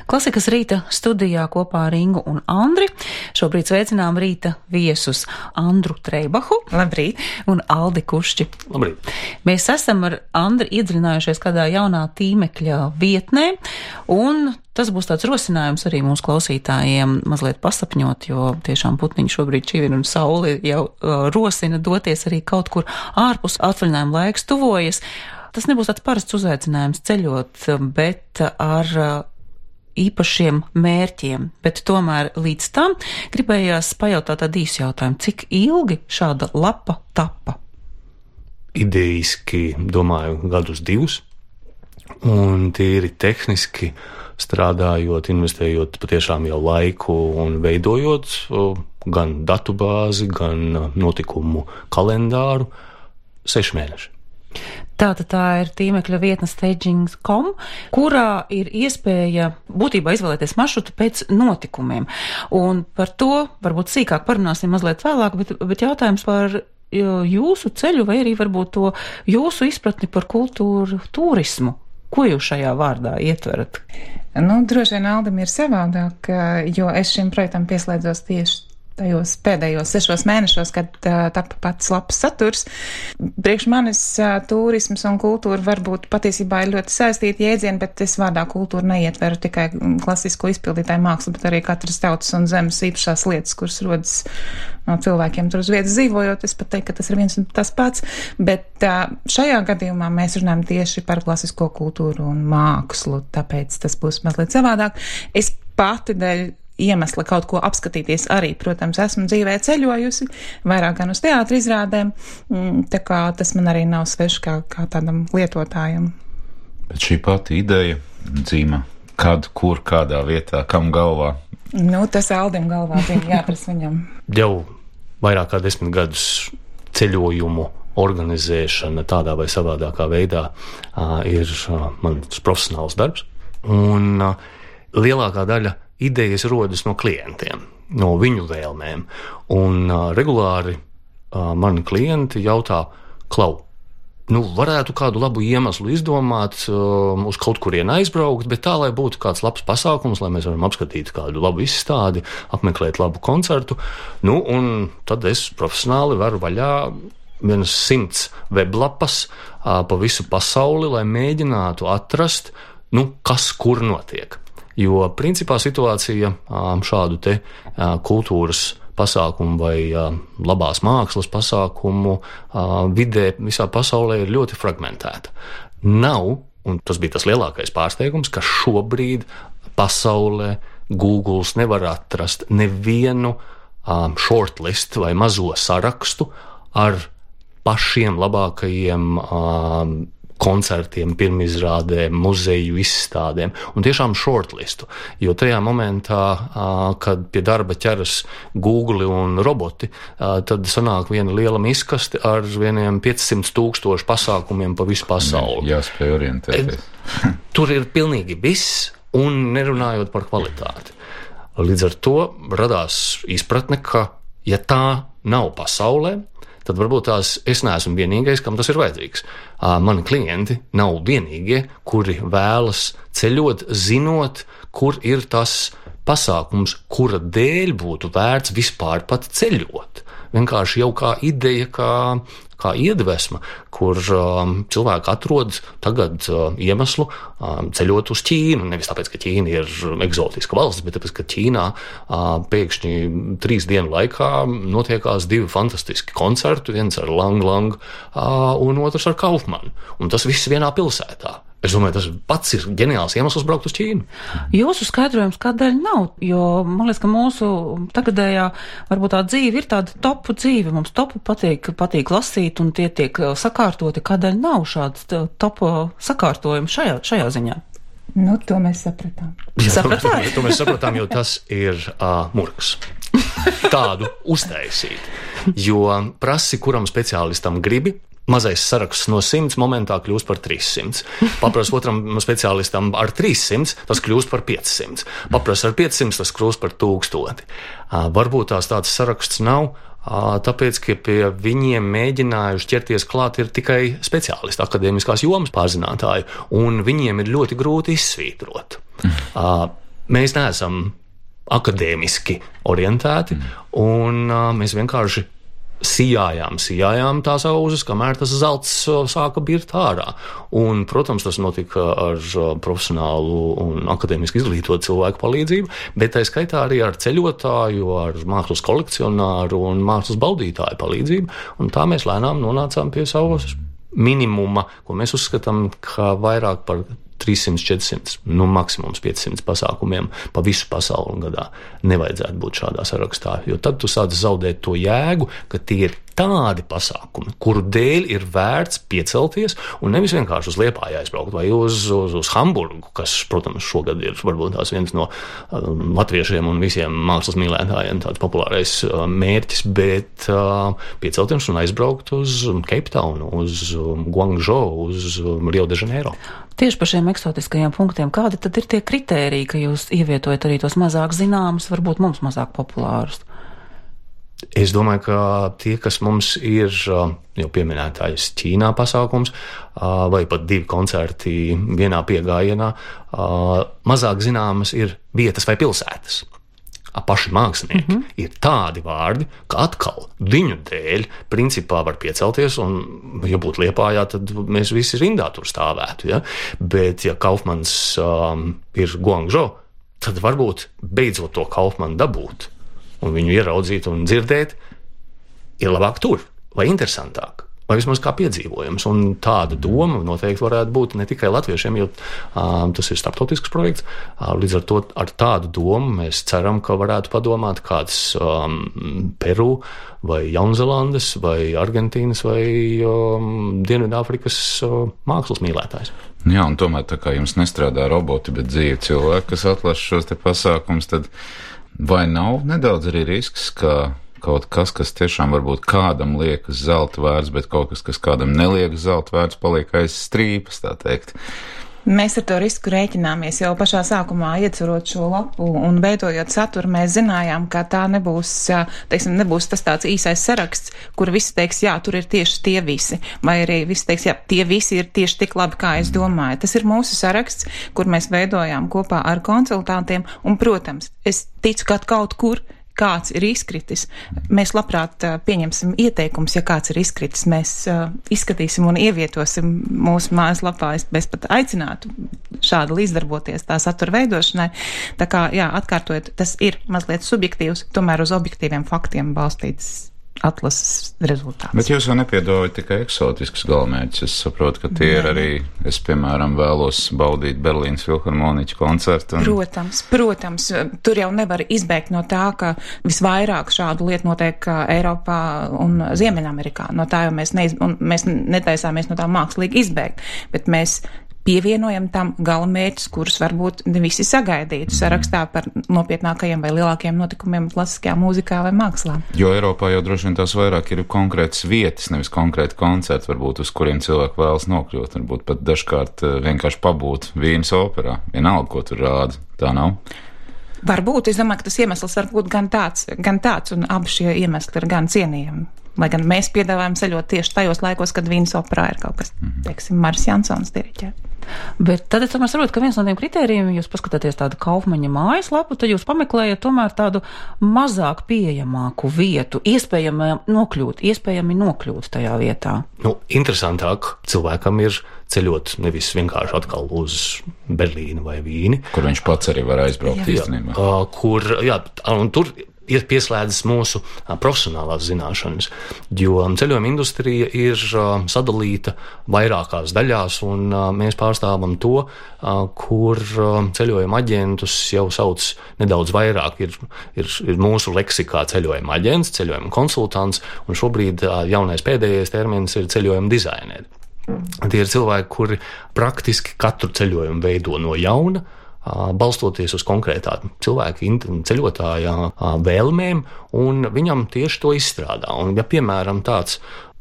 Klasikas rīta studijā kopā ar Ingu un Andri. Šobrīd sveicinām rīta viesus Andru Treibahu. Labrīt. Un Aldi Kušķi. Labrīt. Mēs esam ar Andri iedziļinājušies kādā jaunā tīmekļa vietnē, un tas būs tāds rosinājums arī mūsu klausītājiem mazliet pasapņot, jo tiešām putniņi šobrīd čivina un sauli jau rosina doties arī kaut kur ārpus. Atvaļinājuma laiks tuvojas. Tas nebūs tāds parasts uzaicinājums ceļot, bet ar īpašiem mērķiem. Bet tomēr līdz tam gribējās pajautāt tādu īsu jautājumu. Cik ilgi šāda lapa tapa? Idejiski, domāju, gadus 2. Un tīri tehniski strādājot, investējot patiešām jau laiku un veidojot gan datubāzi, gan notikumu kalendāru, 6 mēneši. Tātad tā ir tīmekļa vietne staging.com, kurā ir iespēja būtībā izvēlēties maršrutu pēc notikumiem. Un par to varbūt sīkāk parunāsim mazliet vēlāk, bet jautājums par jūsu ceļu vai arī varbūt to jūsu izpratni par kultūru turismu. Ko jūs šajā vārdā ietverat? Droši vien Aldim ir savādāk, jo es šim projektam pieslēdzos tieši tajos pēdējos 6 mēnešos, kad tapa pats labs saturs. Priekš manis turisms un kultūra varbūt patiesībā ir ļoti saistīti jēdzieni, bet es vārdā kultūru neietveru tikai klasisko izpildītāju mākslu, bet arī katras tautas un zemes īpašās lietas, kuras rodas no cilvēkiem tur uz vietas dzīvojot. Es pat teiktu, ka tas ir viens un tas pats, bet šajā gadījumā mēs runājam tieši par klasisko kultūru un mākslu, tāpēc tas būs mazliet savādāk. Es pati dēļ iemesla kaut ko apskatīties arī, protams, esmu dzīvē ceļojusi, vairāk gan uz teātra izrādēm, tā kā tas man arī nav svešs kā tādam lietotājam. Bet šī pati ideja dzīma, kad, kur, kādā vietā, kam galvā? Tas Aldim galvā bija jāprasa viņam. Jau vairāk kā 10 gadus ceļojumu organizēšana tādā vai savādākā veidā ir mans profesionāls darbs, un lielākā daļa idejas rodas no klientiem, no viņu vēlmēm. Un regulāri mani klienti jautā, Klau, varētu kādu labu iemeslu izdomāt, uz kaut kurien aizbraukt, bet tā, lai būtu kāds labs pasākums, lai mēs varam apskatīt kādu labu izstādi, apmeklēt labu koncertu. Un tad es profesionāli varu vaļā 100 weblapas pa visu pasauli, lai mēģinātu atrast, kas kur notiek. Jo principā situācija šādu te kultūras pasākumu vai labās mākslas pasākumu vidē visā pasaulē ir ļoti fragmentēta. Nav, un tas bija tas lielākais pārsteigums, ka šobrīd pasaulē Googles nevar atrast nevienu shortlist vai mazo sarakstu ar pašiem labākajiem koncertiem, pirmizrādēm, muzeju izstādēm un tiešām shortlistu, jo tajā momentā, kad pie darba ķeras Google un roboti, tad sanāk viena liela miskaste ar vieniem 500,000 pasākumiem pa visu pasauli. Jāspēj orientēties. Tur ir pilnīgi viss, un nerunājot par kvalitāti. Līdz ar to radās izpratne, ka ja tā nav pasaulē, tad varbūt es neesmu vienīgais, kam tas ir vajadzīgs. Mani klienti nav vienīgie, kuri vēlas ceļot, zinot, kur ir tas pasākums, kura dēļ būtu vērts vispār pat ceļot. Vienkārši jau kā ideja, kā iedvesma, kur cilvēki atrod tagad iemeslu ceļot uz Ķīnu. Nevis tāpēc, ka Ķīna ir eksotiska valsts, bet tāpēc, ka Ķīnā pēkšņi 3 dienu laikā notiekās 2 fantastiski koncerti, viens ar Lang Lang un otrs ar Kaufmanu. Un tas viss vienā pilsētā. Es domāju, tas pats ir ģeniāls iemesls braukt uz Ķīnu. Jūsu skaidrojums kādēļ nav, jo man liekas, ka mūsu tagadējā varbūt tā dzīve ir tāda topu dzīve. Mums topu patīk lasīt un tie tiek sakārtoti. Kādēļ nav šāds topu sakārtojums šajā ziņā? To mēs sapratām. Sapratāt? To mēs sapratām, jo tas ir murgs. Tādu uztaisīt. Jo prasi, kuram speciālistam gribi, mazais saraksts no 100 momentā kļūst par 300. Paprasti otram speciālistam ar 300, tas kļūst par 500. Paprasti ar 500, tas kļūst par 1000. Varbūt tāds saraksts nav, tāpēc, ka pie viņiem mēģinājuši ķerties klāt ir tikai speciālisti, akadēmiskās jomas pārzinātāji, un viņiem ir ļoti grūti izsvītrot. Mēs neesam akadēmiski orientēti, un mēs vienkārši sijājām tās auzas, kamēr tas zelts sāka birt ārā. Un, protams, tas notika ar profesionālu un akadēmiski izglītotu cilvēku palīdzību, bet tā skaitā arī ar ceļotāju, ar mākslas kolekcionāru un mākslas baudītāju palīdzību. Un tā mēs lēnām nonācām pie savas minimuma, ko mēs uzskatām, ka vairāk par 300, 400, maksimums 500 pasākumiem pa visu pasauli gadā nevajadzētu būt šādā sarakstā, jo tad tu sāc zaudēt to jēgu, ka tie ir tādi pasākumi, kuru dēļ ir vērts piecelties un nevis vienkārši uz Liepāju aizbraukt vai uz Hamburgu, kas, protams, šogad ir varbūt tās viens no latviešiem un visiem mākslas mīlētājiem tāds populārais mērķis, bet piecelties un aizbraukt uz Cape Town, uz Guangzhou, uz Rio de Janeiro. Tieši par šiem eksotiskajiem punktiem, kādi tad ir tie kritēriji, ka jūs ievietojat arī tos mazāk zināmus, varbūt mums mazāk populārus? Es domāju, ka tie, kas mums ir jau pieminētais Ķīnā pasākums vai pat 2 koncerti vienā piegājienā, mazāk zināmas ir vietas vai pilsētas. Paši mākslinieki ir tādi vārdi, ka atkal viņu dēļ principā var piecelties, un, ja būtu Liepājā, tad mēs visi rindā tur stāvētu. Ja? Bet, ja Kaufmans ir Guangzhou, tad varbūt beidzot to Kaufmanu dabūt un viņu ieraudzīt un dzirdēt, ir labāk tur vai interesantāk. Vai vismaz kā piedzīvojums. Un tāda doma noteikti varētu būt ne tikai latviešiem, jo tas ir starptautisks projekts. Līdz ar to ar tādu domu mēs ceram, ka varētu padomāt kāds Peru vai Jaunzelandes vai Argentīnas vai Dienvidāfrikas mākslas mīlētājs. Jā, un tomēr tā kā jums nestrādā roboti, bet dzīvi cilvēki, kas atlasa šos te pasākums, tad vai nav nedaudz arī risks, ka kaut kas, kas tiešām varbūt kādam liekas zelta vērts, bet kaut kas, kas kādam neliekas zelta vērts, paliek aiz strīpas, tā teikt? Mēs ar to risku rēķināmies jau pašā sākumā, ieceļot šo lapu un veidojot saturu. Mēs zinājām, ka tā nebūs, nebūs tas tāds īsais saraksts, kur visi teiks, jā, tur ir tieši tie visi, vai arī visi teiks, jā, tie visi ir tieši tik labi, kā es domāju. Tas ir mūsu saraksts, kur mēs veidojām kopā ar konsultantiem, un, protams, es ticu, ka kaut kur kāds ir izkritis. Mēs labprāt pieņemsim ieteikumus, ja kāds ir izkritis. Mēs izskatīsim un ievietosim mūsu mājaslapā. Es pat aicinātu šādi līdzdarboties tā satura veidošanai. Tā kā, jā, atkārtojot, tas ir mazliet subjektīvs, tomēr uz objektīviem faktiem balstīts atlases rezultāts. Bet jūs jau nepiedāvājat tikai eksotiskus galamērķus. Es saprotu, ka tie ir arī, es, piemēram, vēlos baudīt Berlīnas filharmoniķu koncertu. Protams, tur jau nevar izbēgt no tā, ka visvairāk šādu lietu notiek Eiropā un Ziemeļamerikā. No tā jau mēs netaisāmies no tā mākslīgi izbēgt, bet mēs pievienojam tam galamērķus, kurus varbūt ne visi sagaidītu sarakstā par nopietnākajiem vai lielākiem notikumiem klasiskajā mūzikā vai mākslā. Jo Eiropā jau droši vien tās vairāk ir konkrētas vietas, nevis konkrēti koncerti, varbūt uz kuriem cilvēki vēlas nokļūt, varbūt pat dažkārt vienkārši pabūt Vīnes operā. Vienalga, ko tur rāda, tā nav? Varbūt, es domāju, ka tas iemesls var būt gan tāds, un abi šie iemesli ir gan cienījami. Lai gan mēs piedāvājam ceļot tieši tajos laikos, kad Vīnes operā ir kaut kas, teiksim, Maris Jansons diriģē. Bet tad es tomēr saprotu, ka viens no tiem kritērijiem, jūs paskatāties tādu Kaufmaņa mājaslapu, tad jūs pameklējat tomēr tādu mazāk pieejamāku vietu, iespējami nokļūt tajā vietā. Interesantāk cilvēkam ir ceļot nevis vienkārši atkal uz Berlīnu vai Vīni. Kur viņš pats arī var aizbraukt īstenībā. Un tur ir pieslēdzas mūsu profesionālās zināšanas, jo ceļojuma industrija ir sadalīta vairākās daļās, un mēs pārstāvam to, kur ceļojuma aģentus jau sauc nedaudz vairāk. Ir mūsu leksikā ceļojuma aģents, ceļojuma konsultants, un šobrīd jaunais pēdējais termins ir ceļojuma dizaineri. Tie ir cilvēki, kuri praktiski katru ceļojumu veido no jauna, balstoties uz konkrētā cilvēka ceļotāja vēlmēm, un viņam tieši to izstrādā. Un, ja, piemēram,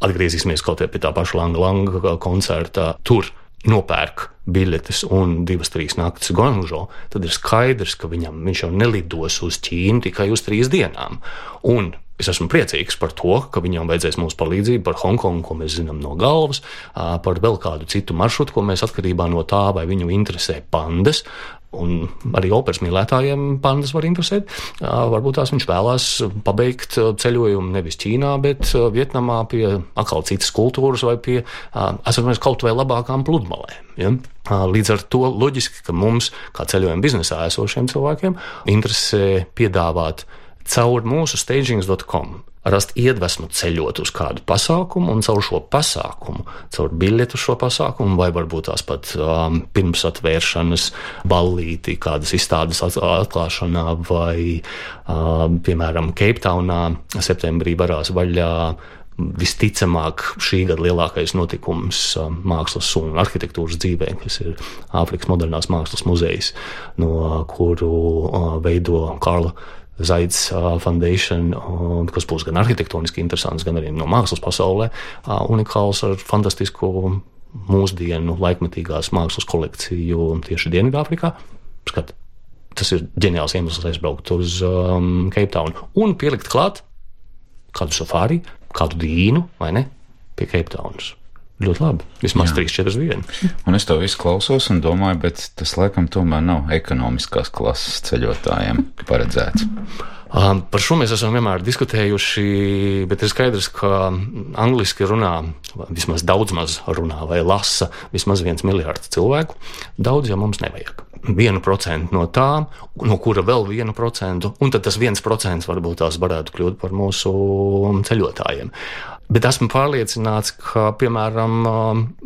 atgriezīsimies kaut pie tā paša Langa koncerta, tur nopērk biļetes un 2-3 naktis Guangzhou, tad ir skaidrs, ka viņš jau nelidos uz Ķīnu tikai uz 3 dienām. Un Es esmu priecīgs par to, ka viņam vajadzēs mūsu palīdzību par Hongkongu, ko mēs zinām no galvas, par vēl kādu citu maršrutu, ko mēs atkarībā no tā, vai viņu interesē pandas, un arī operas mīlētājiem pandas var interesēt. Varbūt tās viņš vēlās pabeigt ceļojumu nevis Ķīnā, bet Vietnamā pie atkal citas kultūras vai pie, kaut vai labākām pludmalēm. Ja? Līdz ar to loģiski, ka mums, kā ceļojuma biznesā esošiem cilvēkiem, interesē piedāvāt caur mūsu stagings.com rast iedvesmu ceļot uz kādu pasākumu un caur šo pasākumu, caur biļetu šo pasākumu vai varbūt tās pat pirmsatvēršanas ballīti, kādas izstādes atklāšanā vai, piemēram, Keiptaunā septembrī varās vaļā visticamāk šī gada lielākais notikums mākslas un arhitektūras dzīvē, kas ir Āfrikas modernās mākslas muzejs, no kuru veido Karla Zaids Foundation, kas būs gan arhitektoniski interesants, gan arī no mākslas pasaulē, unikāls ar fantastisku mūsdienu laikmetīgās mākslas kolekciju tieši Dienvidāfrikā. Skat, tas ir ģeniāls iemesls aizbraukt uz Keiptaunu un pielikt klāt kādu safāri, kādu dīnu, vai ne, pie Keiptaunas. Ļoti labi, vismaz 3-4 dienas. Un es to visu klausos un domāju, bet tas laikam tomēr nav ekonomiskās klases ceļotājiem paredzēts. Par šo mēs esam vienmēr diskutējuši, bet ir skaidrs, ka angliski runā, vismaz daudz maz runā vai lasa vismaz 1 miljards cilvēku. Daudz jau mums nevajag. 1% no tām, no kura vēl 1%, un tad tas 1% varbūt tās varētu kļūt par mūsu ceļotājiem. Bet esmu pārliecināts, ka, piemēram,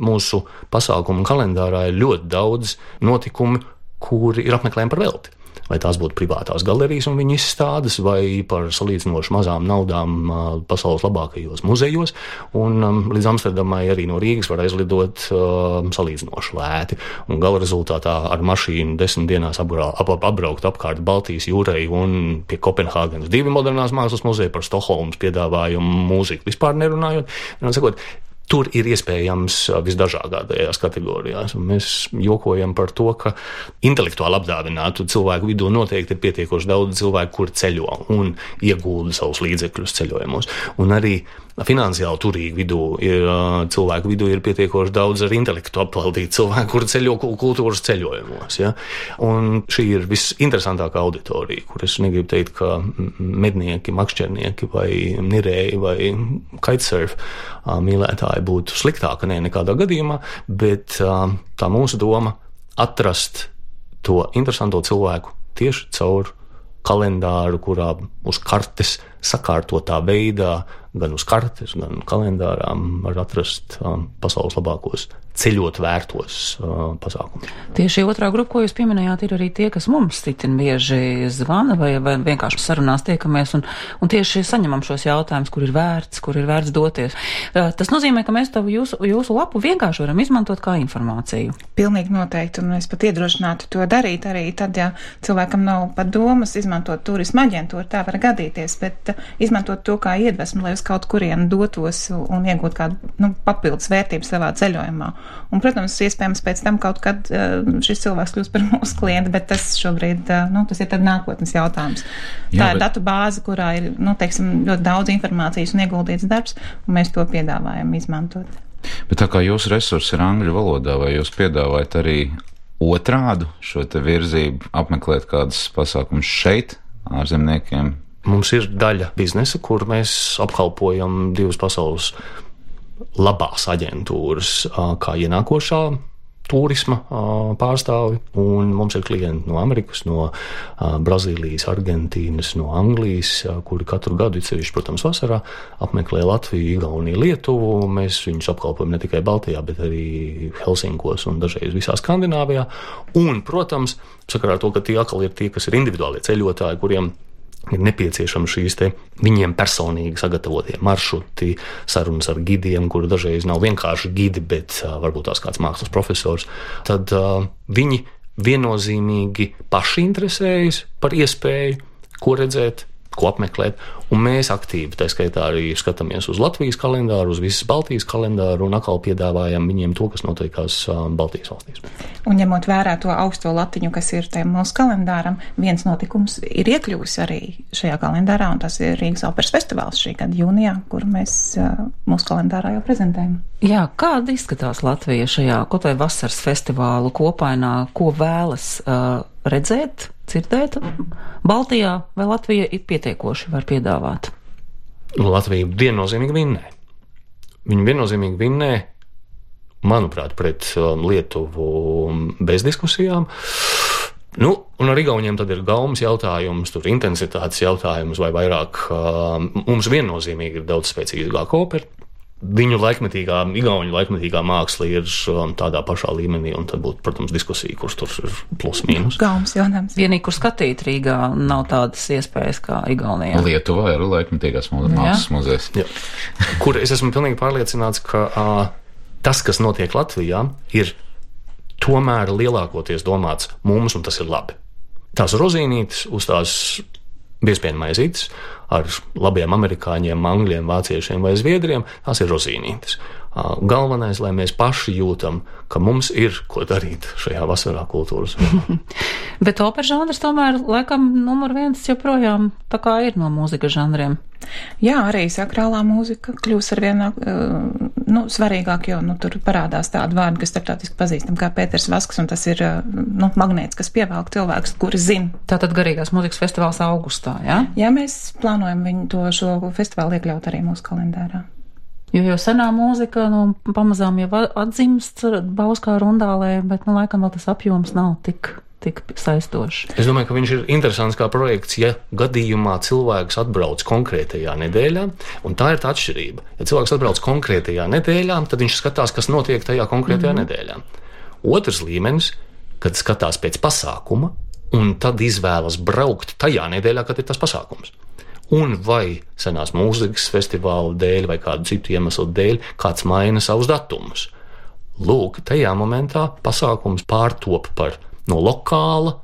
mūsu pasākumu kalendārā ir ļoti daudz notikumu, kuri ir apmeklējumi par velti. Vai tās būtu privātās galerijas un viņu izstādes, vai par salīdzinoši mazām naudām pasaules labākajos muzejos. Un līdz Amsterdamai arī no Rīgas var aizlidot salīdzinoši lēti. Un gala rezultātā ar mašīnu 10 dienās apbraukt apkārt Baltijas jūrai un pie Kopenhāgenes 2 modernās mākslas muzeja, par Stokholmas piedāvājumu mūziku vispār nerunājot. Tur ir iespējams visdažādākajās kategorijās. Un mēs jokojam par to, ka intelektuāli apdāvinātu cilvēku vidū noteikti ir pietiekoši daudz cilvēku, kuri ceļo un iegulda savus līdzekļus ceļojumos. Un arī finansiāli turīgi vidū cilvēku vidū ir pietiekoši daudz ar intelektu apvaldītu cilvēku, kuri ceļo kultūras ceļojumos. Ja? Un šī ir visinteresantākā auditorija, kur es negribu teikt, ka mednieki, makšķernieki vai nirēji vai kitesurf mīlētāji būtu sliktāka nekādā gadījumā, bet tā mūsu doma atrast to interesanto cilvēku tieši caur kalendāru, kurā uz kartes sakārtotā veidā, gan uz kartes, gan kalendārām var atrast pasaules labākos ceļot vērtos pasākumus. Tieši otrā grupa, ko jūs pieminējāt, ir arī tie, kas mums citin bieži zvana vai vienkārši sarunās tiekamies un tieši saņemam šos jautājumus, kur ir vērts doties. Tas nozīmē, ka mēs jūsu lapu vienkārši varam izmantot kā informāciju. Pilnīgi noteikti, un es pat iedrošinātu to darīt arī tad, ja cilvēkam nav pat domas izmantot turisma aģentūru, tā var gadīties, bet izmantot to kā iedvesmu, lai uz kaut kurienu dotos un iegūt kādu papildus vērtību savā ceļojumā. Un, protams, iespējams pēc tam kaut kad šis cilvēks kļūst par mūsu klientu, bet tas šobrīd, tas ir tad nākotnes jautājums. Tā ir datu bāze, kurā ir, teiksim, ļoti daudz informācijas un ieguldīts darbs, un mēs to piedāvājam izmantot. Bet tā kā jūsu resursi ir angļu valodā, vai jūs piedāvājat arī otrādu šo te virzību apmeklēt kādas pasākumus šeit, ārzemniekiem? Mums ir daļa biznesa, kur mēs apkalpojam 2 pasaules labās aģentūras kā ienākošā turisma pārstāvi, un mums ir klienti no Amerikas, no Brazīlijas, Argentīnas, no Anglijas, kuri katru gadu, sevišķi, protams, vasarā apmeklē Latviju, Igauniju, Lietuvu. Mēs viņus apkalpojam ne tikai Baltijā, bet arī Helsinkos un dažreiz visā Skandināvijā. Un, protams, sakarā ar to, ka tie atkal ir tie, kas ir individuālie ceļotāji, kuriem ir nepieciešami šīs viņiem personīgi sagatavotie maršruti, sarunas ar gidiem, kuri dažreiz nav vienkārši gidi, bet varbūt tās kāds mākslas profesors, tad viņi viennozīmīgi paši interesējas par iespēju, ko redzēt ko apmeklēt, un mēs aktīvi, tā skaitā arī skatāmies uz Latvijas kalendāru, uz visas Baltijas kalendāru un atkal piedāvājam viņiem to, kas notiekās Baltijas valstīs. Un ņemot vērā to augsto latiņu, kas ir tajam mūsu kalendāram, viens notikums ir iekļuvis arī šajā kalendārā, un tas ir Rīgas operas festivāls šī gada jūnijā, kuru mēs mūsu kalendārā jau prezentējam. Jā, kāda izskatās Latvija šajā kaut vai vasaras festivālu kopainā, ko vēlas redzēt, dzirdēt Baltijā, vai Latvija ir pietiekoši var piedāvāt? Latvija viennozīmīgi vinnē. Viņa viennozīmīgi vinnē, manuprāt, pret Lietuvu bez diskusijām. Un ar Igauniem tad ir gaumas jautājums, tur intensitātes jautājums, vai vairāk mums viennozīmīgi ir daudz spēcīgāka opera. Viņu igauņu laikmetīgā māksla ir tādā pašā līmenī, un tad būtu, protams, diskusija, kurš tur ir plus mīnus. Gaumas jautājums. Vienīgi, kur skatīt Rīgā, nav tādas iespējas kā Igaunijā. Lietuvā ir laikmetīgās mākslas muzejs. Kur es esmu pilnīgi pārliecināts, ka tas, kas notiek Latvijā, ir tomēr lielākoties domāts mums, un tas ir labi. Tās rozīnītes uz tās biespienu maizītes ar labiem amerikāņiem, angļiem, vāciešiem vai zviedriem, tās ir rozīnītes. Galvenais, lai mēs paši jūtam, ka mums ir ko darīt šajā vasarā kultūras. Bet opera žanrs tomēr laikam numur 1 joprojām tā kā ir no mūzikas žanriem. Jā, arī sakrālā mūzika kļūs ar vienā, svarīgāk, jo, tur parādās tādi vārdi, kas starptautiski pazīstam kā Pēters Vasks, un tas ir, magnēts, kas pievelk cilvēkus, kuri zina. Tātad garīgās mūzikas festivāls augustā, jā? Jā, mēs plānojam šo festivālu iekļaut arī mūsu kalendārā. Jo senā mūzika, pamazām jau atzimst Bauskā rundālē, bet, laikam vēl tas apjoms nav tik saistošs. Es domāju, ka viņš ir interesants kā projekts, ja gadījumā cilvēks atbrauc konkrētajā nedēļā, un tā ir tā atšķirība. Ja cilvēks atbrauc konkrētajā nedēļā, tad viņš skatās, kas notiek tajā konkrētajā nedēļā. Otrs līmenis, kad skatās pēc pasākuma, un tad izvēlas braukt tajā nedēļā, kad ir tas pasākums. Un vai senās mūzikas festivāla dēļ vai kādu citu iemeslu dēļ kāds maina savus datumus. Lūk, tajā momentā pasākums pārtop par no lokāla,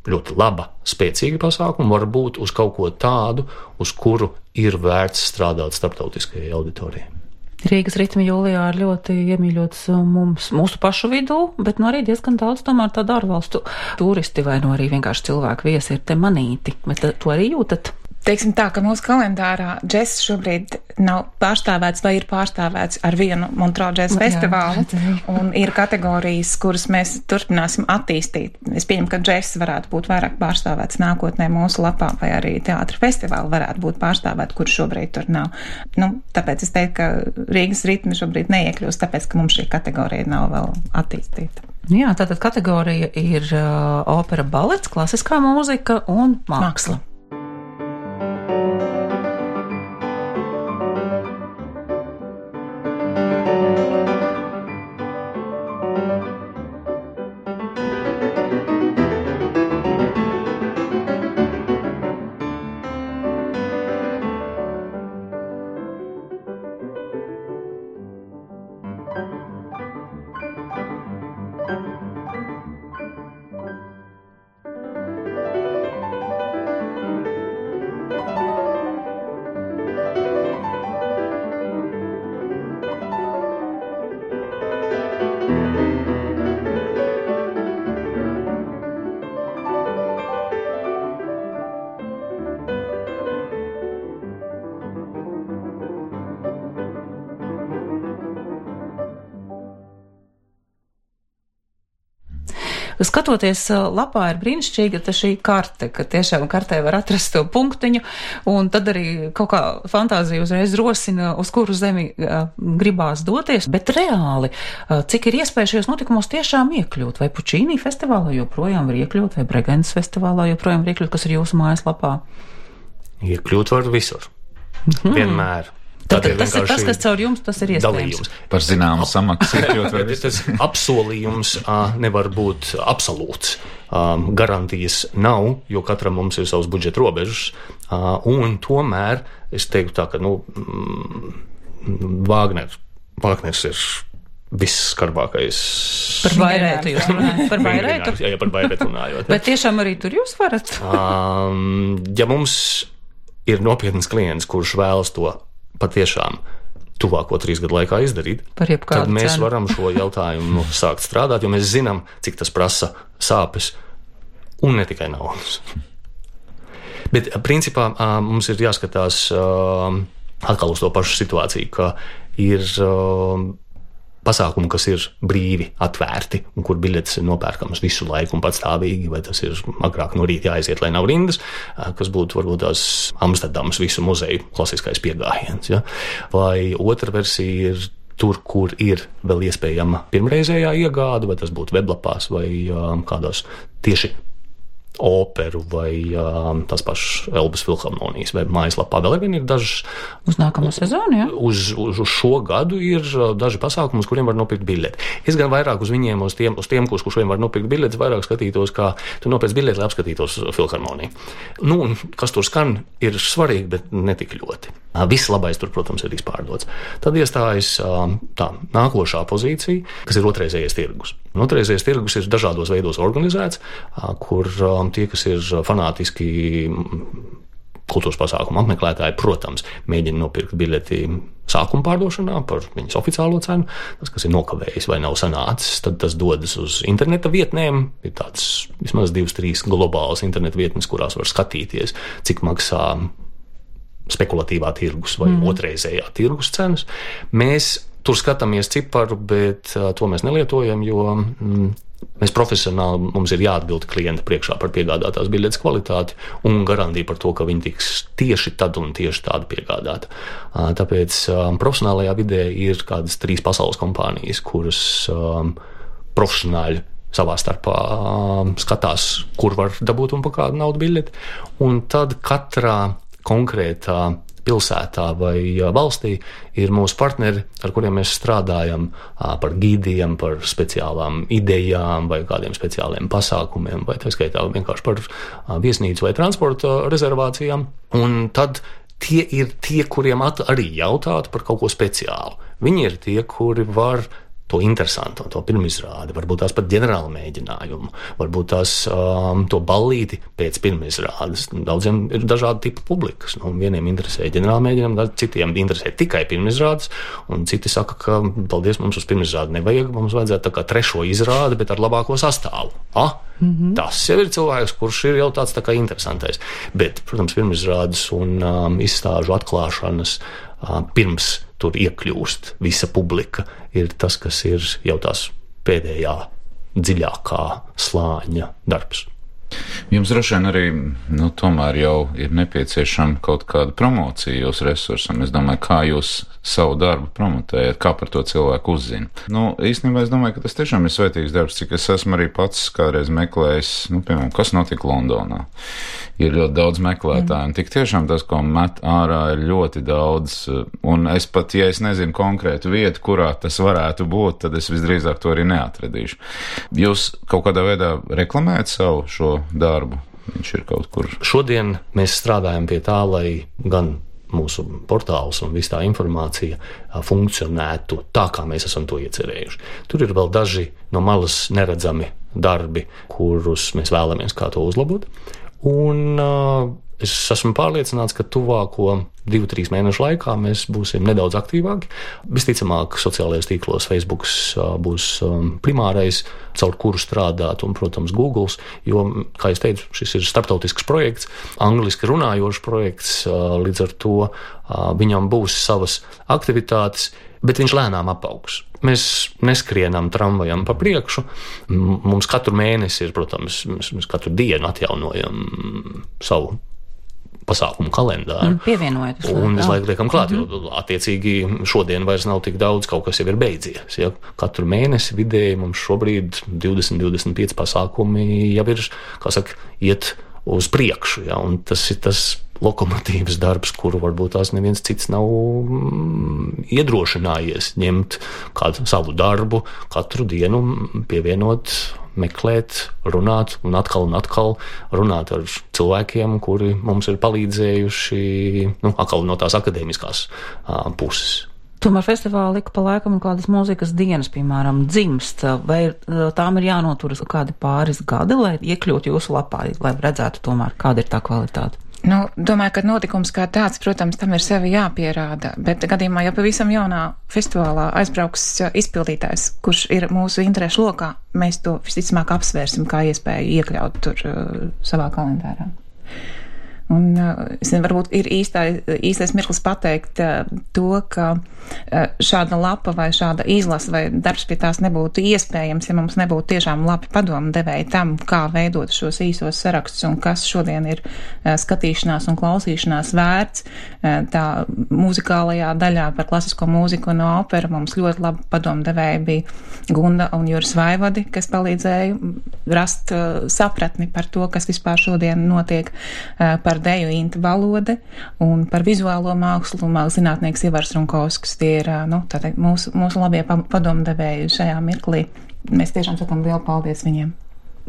ļoti laba, spēcīga pasākuma, varbūt uz kaut ko tādu, uz kuru ir vērts strādāt starptautiskajai auditorijai. Rīgas ritmi jūlijā ir ļoti iemīļots mūsu pašu vidū, bet arī diezgan daudz tomēr tādu ārvalstu turisti vai arī vienkārši cilvēku viesi ir te manīti. Bet to arī jūtat? Teiksim tā, ka mūsu kalendārā džess šobrīd nav pārstāvēts vai ir pārstāvēts ar vienu Montreux džess festivālu, un ir kategorijas, kuras mēs turpināsim attīstīt. Es pieņemu, ka džess varētu būt vairāk pārstāvēts nākotnē mūsu lapā, vai arī teātra festivāli varētu būt pārstāvēt, kur šobrīd tur nav. Tāpēc es teiktu, ka Rīgas ritmi šobrīd neiekļūst, tāpēc, ka mums šī kategorija nav vēl attīstīta. Jā, tātad kategorija ir opera, balets, klasiskā mūzika un māksla. Skatoties lapā ir brīnišķīga šī karte, ka tiešām kartē var atrast to punktiņu, un tad arī kaut kā fantāzija uzreiz rosina, uz kuru zemi gribās doties, bet reāli, cik ir iespēja šajos notikumos tiešām iekļūt, vai Pučīnī festivālā joprojām var iekļūt, vai Bregences festivālā joprojām var iekļūt, kas ir jūsu mājaslapā? Iekļūt var visur. Vienmēr. Tas, kas caur jums, tas ir iespējams. Dalījums. Par zināmu samaksu iekļūt var visur. Tas apsolījums nevar būt absolūts. Garantijas nav, jo katram mums ir savs budžeta robežas. Un tomēr es teiktu tā, ka Vāgners ir visskarbākais. Par Bairētu jūs runājat? Par Bairētu? Jā, par Bairētu runājot. Bet tiešām arī tur jūs varat? Ja mums ir nopietns klients, kurš vēlas to patiešām tuvāko 3 gadu laikā izdarīt, tad mēs varam šo jautājumu sākt strādāt, jo mēs zinām, cik tas prasa sāpes un ne tikai naudas. Bet principā mums ir jāskatās atkal uz to pašu situāciju, ka ir pasākumi, kas ir brīvi, atvērti, un kur biļetes ir nopērkamas visu laiku un patstāvīgi, vai tas ir agrāk no rīta jāaiziet, lai nav rindas, kas būtu varbūt tās Amsterdamas visu muzeju klasiskais piegājiens. Ja? Vai otra versija ir tur, kur ir vēl iespējama pirmreizējā iegāde, vai tas būtu weblapās vai kādās tieši operu vai tās pašas Elbas filharmonijas vai mājaslapā. Vēl vien ir dažas. Uz nākamo sezonu, ja? Uz šo gadu ir daži pasākumi, uz kuriem var nopirkt biļeti. Es gan vairāk uz viņiem, uz tiem, kuriem var nopirkt biļetes, vairāk skatītos, kā tu nopirkt biļeti, lai apskatītos filharmoniju. Nu, un kas tur skan, ir svarīgi, bet ne tik ļoti. Viss labais tur, protams, ir izpārdots. Tad iestājas tā nākošā pozīcija, kas ir otrreizējais tirgus. Otrreizējais tirgus ir dažādos veidos organizēts, kur tie, kas ir fanātiski kultūras pasākumu apmeklētāji, protams, mēģina nopirkt biļeti sākuma pārdošanā par viņas oficiālo cenu. Tas, kas ir nokavējis vai nav sanācis, tad tas dodas uz interneta vietnēm. Ir tāds vismaz 2-3 globālas interneta vietnes, kurās var skatīties, cik maksā spekulatīvā tirgus vai otrreizējā tirgus cenas. Mēs tur skatāmies ciparu, bet to mēs nelietojam, jo mēs profesionāli, mums ir jāatbild klienta priekšā par piegādātās biļetes kvalitāti un garantiju par to, ka viņi tiks tieši tad un tieši tādu piegādāta. Tāpēc profesionālajā vidē ir kādas 3 pasaules kompānijas, kuras profesionāļi savā starpā skatās, kur var dabūt un pa kādu naudu biļeti. Un tad katrā konkrētā pilsētā vai valstī ir mūsu partneri, ar kuriem mēs strādājam par gīdiem, par speciālām idejām vai kādiem speciāliem pasākumiem, vai tā skaitā vienkārši par viesnīcu vai transporta rezervācijām. Un tad tie ir tie, kuriem arī jautāt par kaut ko speciālu. Viņi ir tie, kuri var to interesantu, to pirmizrādi, varbūt tās pat ģenerāla mēģinājumu, varbūt tās to ballīti pēc pirmizrādes. Daudziem ir dažādi tipi publikas. Vieniem interesē ģenerāla mēģinājumu, citiem interesē tikai pirmizrādes, un citi saka, ka paldies, mums uz pirmizrādi nevajag, mums vajadzētu tā kā 3. izrādi, bet ar labāko sastāvu. Tas jau ir cilvēks, kurš ir jau tāds tā kā interesantais. Bet, protams, pirmizrādes un izstāžu atklāšanas pirms tur iekļūst visa publika, ir tas, kas ir jau tās pēdējā dziļākā slāņa darbs. Jums droši vien arī, tomēr jau ir nepieciešama kaut kāda promocija jūsu resursam. Es domāju, kā jūs savu darbu promotējat, kā par to cilvēku uzzina. Īstenībā es domāju, ka tas tiešām ir svētīgs darbs, cik es esmu arī pats kādreiz meklējis, piemēram, kas notika Londonā. Ir ļoti daudz meklētāju, un tik tiešām tas, ko met ārā, ir ļoti daudz, un es pat, ja es nezinu konkrētu vietu, kurā tas varētu būt, tad es visdrīzāk to arī neatradīšu. Jūs kaut kādā veidā reklamējat savu šo darbu? Viņš ir kaut kur. Šodien mēs strādājam pie tā, lai gan mūsu portāls un viss tā informācija funkcionētu tā, kā mēs esam to iecerējuši. Tur ir vēl daži no malas neredzami darbi, kurus mēs vēlamies kā to uzlabot. Un es esmu pārliecināts, ka tuvāko 2-3 mēnešu laikā mēs būsim nedaudz aktīvāki. Visticamāk, sociālajos tīklos Facebook būs primārais, caur kuru strādāt, un, protams, Google, jo, kā es teicu, šis ir starptautisks projekts, angliski runājošs projekts, līdz ar to viņam būs savas aktivitātes, bet viņš lēnām apaugs. Mēs neskrienam tramvajam pa priekšu. Mums katru mēnesi ir, protams, mēs katru dienu atjaunojam savu pasākumu kalendāru. Pievienojaties. Un visu laiku liekam klāt, jo attiecīgi šodien vairs nav tik daudz, kaut kas jau ir beidzies. Ja? Katru mēnesi vidēji mums šobrīd 20-25 pasākumi jau ir, kā saka, iet uz priekšu. Ja? Un tas ir tas lokomotīvas darbs, kuru varbūt tās neviens cits nav iedrošinājies ņemt kādu savu darbu, katru dienu pievienot, meklēt, runāt un atkal runāt ar cilvēkiem, kuri mums ir palīdzējuši, atkal no tās akadēmiskās puses. Tomēr festivāli ik pa laikam un kādas mūzikas dienas, piemēram, dzimst, vai tām ir jānoturas kādi pāris gadi, lai iekļūtu jūsu lapā, lai redzētu tomēr, kāda ir tā kvalitāte? Domāju, ka notikums kā tāds, protams, tam ir sevi jāpierāda, bet gadījumā, ja pavisam jaunā festivālā aizbrauks izpildītājs, kurš ir mūsu interešu lokā, mēs to visticamāk apsvērsim kā iespēju iekļaut tur savā kalendārā. Un es nezinu, varbūt ir īstais mirklis pateikt to, ka šāda lapa vai šāda izlase vai darbs pie tās nebūtu iespējams, ja mums nebūtu tiešām labi padomu devēji tam, kā veidot šos īsos sarakstus un kas šodien ir skatīšanās un klausīšanās vērts. Tā muzikālajā daļā par klasisko mūziku un operu mums ļoti labi padomu devēji bija Gunda un Juris Vaivadi, kas palīdzēja rast sapratni par to, kas vispār šodien notiek, par deju Inta Balode un par vizuālo mākslu zinātnieks Ivars Runkovskis. Tie ir mūsu labie padomdevēji šajā mirklī. Mēs tiešām sakam lielu paldies viņiem.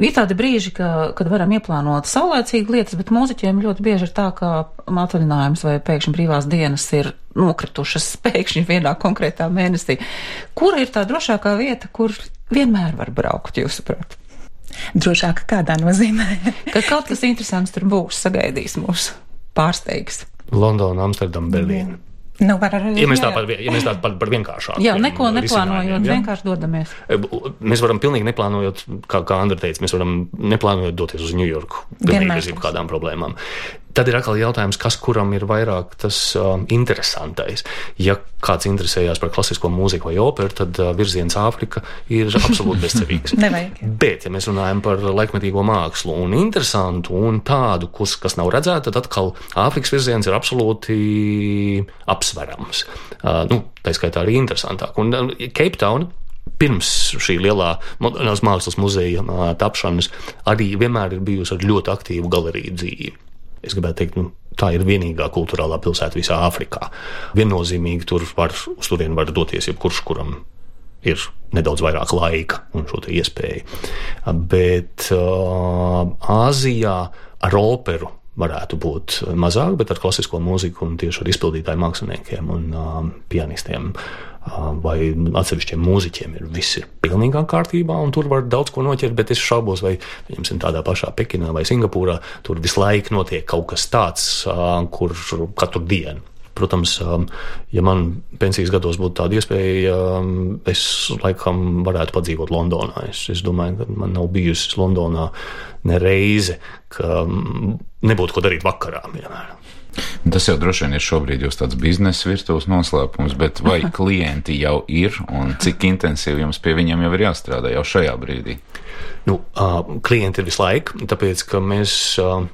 Ir tādi brīži, kad varam ieplānot saulēcīgi lietas, bet mūziķiem ļoti bieži ir tā, ka atvaļinājums vai pēkšņi brīvās dienas ir nokritušas pēkšņi vienā konkrētā mēnesī. Kur ir tā drošākā vieta, kur vienmēr var braukt, jūsuprāt? Drošāk kādā nozīmē? Ka kaut kas interesants tur būs, sagaidīs mūs, pārsteigs. Londona, Amsterdama, Berlīna. Var arī. Ja mēs tā par vienkāršāku. Jā, neko neplānojot, vienkārši dodamies. Mēs varam pilnīgi neplānojot, kā Andra teica, mēs varam neplānojot doties uz New Yorku. Pilnīgi bez kādām problēmām. Tad ir atkal jautājums, kas kuram ir vairāk tas interesantais. Ja kāds interesējās par klasisko mūziku vai operu, tad virziens Āfrika ir absolūti bezcerīgs. Nevajag. Bet, ja mēs runājam par laikmetīgo mākslu un interesantu un tādu, kas nav redzēta, tad atkal Āfrikas virziens ir absolūti apsverams. Tā skaitā arī interesantāk. Un Cape Town pirms šī lielā mākslas muzeja tapšanas arī vienmēr ir bijusi ar ļoti aktīvu galeriju dzīvi. Es gribētu teikt, tā ir vienīgā kultūrālā pilsēta visā Āfrikā. Viennozīmīgi uz turieni var doties jebkurš, kuram ir nedaudz vairāk laika un šo te iespēju. Bet Āzijā ar operu varētu būt mazāk, bet ar klasisko mūziku un tieši ar izpildītāju māksliniekiem un pianistiem vai atsevišķiem mūziķiem viss ir pilnīgā kārtībā, un tur var daudz ko noķert, bet es šaubos, vai tādā pašā Pekinā vai Singapūrā tur visu laiku notiek kaut kas tāds, kur katru dienu. Protams, ja man pensijas gados būtu tāda iespēja, es laikam varētu padzīvot Londonā. Es domāju, ka man nav bijusi Londonā ne reize, ka nebūtu ko darīt vakarā, piemēram. Tas jau droši vien ir šobrīd jūs tāds biznesa virtuves noslēpums, bet vai klienti jau ir un cik intensīvi jums pie viņiem jau ir jāstrādā jau šajā brīdī? Klienti ir visu laiku, tāpēc, ka mēs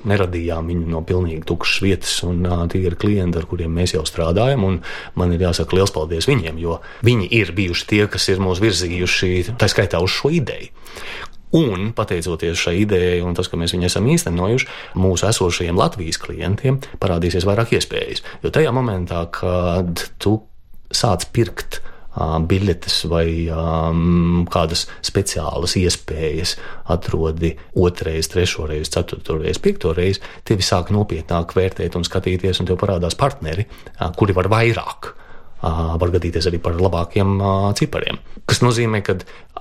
neradījām viņu no pilnīgi tukšas vietas, un tie ir klienti, ar kuriem mēs jau strādājam, un man ir jāsaka liels paldies viņiem, jo viņi ir bijuši tie, kas ir mūs virzījuši, tā skaitā uz šo ideju. Un, pateicoties šai idejai un tas, ka mēs viņu esam īstenojuši, mūsu esošajiem Latvijas klientiem parādīsies vairāk iespējas. Jo tajā momentā, kad tu sāc pirkt biļetes vai kādas speciālas iespējas atrodi 2, 3, 4, 5, tevi sāk nopietnāk vērtēt un skatīties, un tev parādās partneri, kuri var vairāk. Var gadīties arī par labākiem cipariem. Kas nozīmē, ka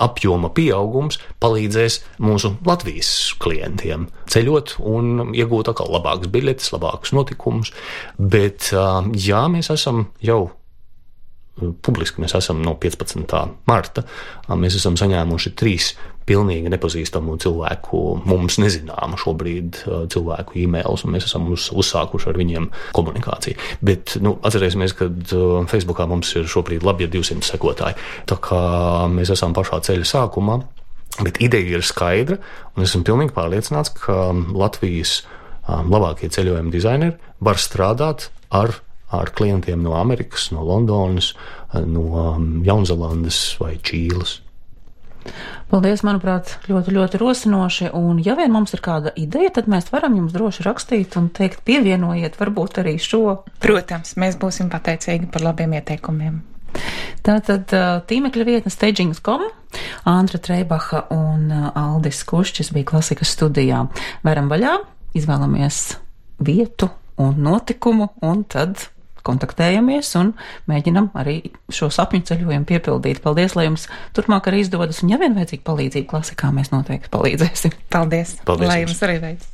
apjoma pieaugums palīdzēs mūsu Latvijas klientiem ceļot un iegūt atkal labākas biļetes, labākus notikumus. Bet, jā, mēs esam jau publiski, mēs esam no 15. marta, mēs esam saņēmuši 3 pilnīgi nepazīstamu cilvēku, mums nezināmu šobrīd cilvēku e-mails, un mēs esam uzsākuši ar viņiem komunikāciju. Bet, atcerēsimies, ka Facebookā mums ir šobrīd labi 200 sekotāji, tā kā mēs esam pašā ceļa sākumā, bet ideja ir skaidra, un esmu pilnīgi pārliecināts, ka Latvijas labākie ceļojuma dizaineri var strādāt ar klientiem no Amerikas, no Londonas, no Jaunzelandes vai Čīles. Paldies, manuprāt, ļoti, ļoti rosinoši, un ja vien mums ir kāda ideja, tad mēs varam jums droši rakstīt un teikt, pievienojiet varbūt arī šo. Protams, mēs būsim pateicīgi par labiem ieteikumiem. Tātad tīmekļa vietne stagings.com, Andra Treibacha un Aldis Kušķis bija Klasikas studijā. Veram vaļā, izvēlamies vietu un notikumu, un tad kontaktējamies un mēģinam arī šo sapņu ceļojumu piepildīt. Paldies, lai jums turpmāk arī izdodas, un ja vien vajadzīga palīdzība klasikā, mēs noteikti palīdzēsim. Paldies. Paldies Lai jums jums arī veids.